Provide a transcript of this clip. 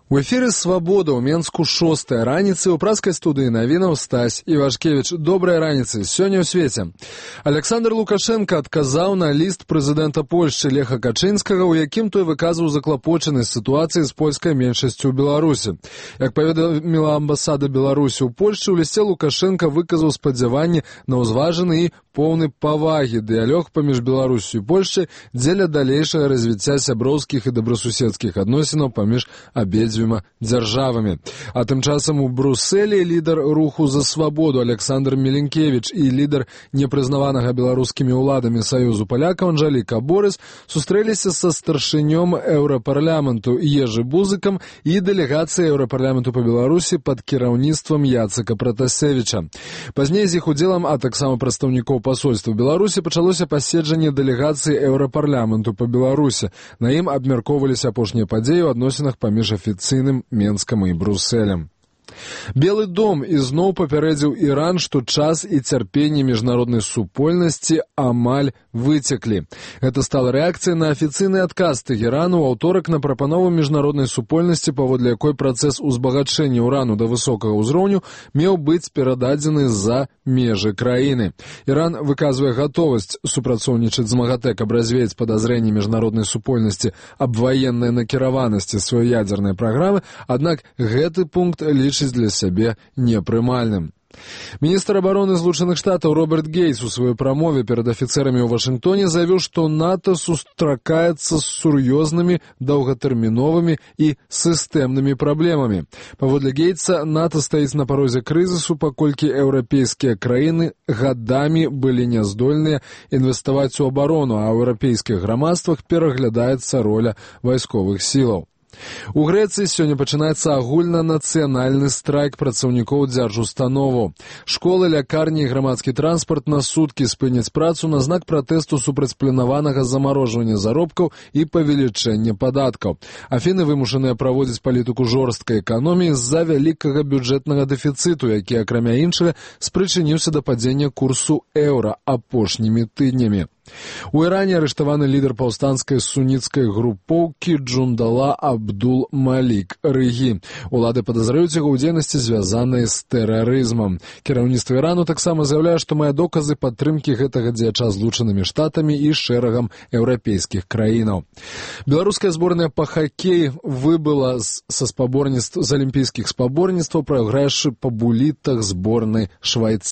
У эфіры «Свабода» ў Менску 6-я раніцы, у праскай студыі навінаў Стась Івашкевіч. Добрай раніцы, сёння ў свеце. Александр Лукашенко адказаў на ліст прэзідэнта Польшчы Леха Качынскага, у якім той выказваў заклапочанасць сітуацыі з польскай меншасцю ў Беларусі. Як паведаміла амбасада Беларусі ў Польшчы, у лісце Лукашенко выказаў спадзяванні на ўзважаны і поўны павагі дыялог паміж Беларусю і Польшчай дзеля далейшага развіцця сяброўскіх і добрасуседскіх адносінаў паміж абедзвюма дзяржавамі. А тым часам у Брусэлі лідар руху за свабоду Александр Меленкевіч і лідар непрызнаванага беларускімі ўладамі Саюзу палякаў Анжэліка Борыс сустрэліся са старшынём Еўрапарламенту Ежы Бузыкам і дэлегацыяй Еўрапарламенту па Беларусі пад кіраўніцтвам Яцека Пратасевіча. Пазней з іх удзелам, а таксама прадстаўнікоў пасольства Беларусі, пачалося паседжанне дэлегацыі Еўрапарламенту па Беларусі. На ім абмяркоўваліся апошнія падзеі ў адносінах паміж афіцыйным Менскам і Брусэлем. Белы дом ізноў папярэдзіў Іран, што час і цярпенне міжнароднай супольнасці амаль выцеклі. Гэта стала рэакцыяй на афіцыйны адказ Тэхерану ў аўторак на прапанову міжнароднай супольнасці, паводле якой працэс узбагачэння ўрану да высокага ўзроўню меў быць перададзены за межы краіны. Іран выказвае гатовасць супрацоўнічаць з МАГАТЭ, каб развеяць падазрэнні міжнароднай супольнасці аб ваеннай накіраванасці сваёй ядзернай праграмы, аднак гэты пункт лічыць для сябе непрымальным. Міністр абароны Злучаных Штатаў Роберт Гейтс у сваёй прамове перад афіцэрамі ў Вашынгтоне заявіў, што НАТО сустракаецца з сур'ёзнымі, доўгатэрміновымі і сістэмнымі праблемамі. Паводле Гейтса, НАТО стаіць на парозе крызісу, паколькі еўрапейскія краіны гадамі былі няздольныя інвеставаць у абарону, а ў еўрапейскіх грамадствах пераглядаецца роля вайсковых сілаў. У Грэцыі сёння пачынаецца агульнанацыянальны страйк працаўнікоў дзяржустановаў. Школы, лякарні і грамадскі транспарт на суткі спыняць працу на знак пратэсту супраць планаванага замарожвання заробкаў і павелічэння падаткаў. Афіны вымушаныя праводзіць палітыку жорсткай эканоміі з-за вялікага бюджэтнага дэфіцыту, які, акрамя іншага, спрычыніўся да падзення курсу еўра апошнімі тыднямі. У Іране арыштаваны лідар паўстанцкай суніцкай групоўкі Джундала Абдул Малік Рыгі. Улады падазраюць яго ў дзейнасці, звязанай з тэрарызмам. Кіраўніцтва Ірану таксама заяўляе, што мае доказы падтрымкі гэтага дзеяча Злучанымі Штатамі і шэрагам еўрапейскіх краінаў. Беларуская зборная па хакеі выбыла з алімпійскіх спаборніцтваў, прайграўшы па булітах зборнай Швайцарыі.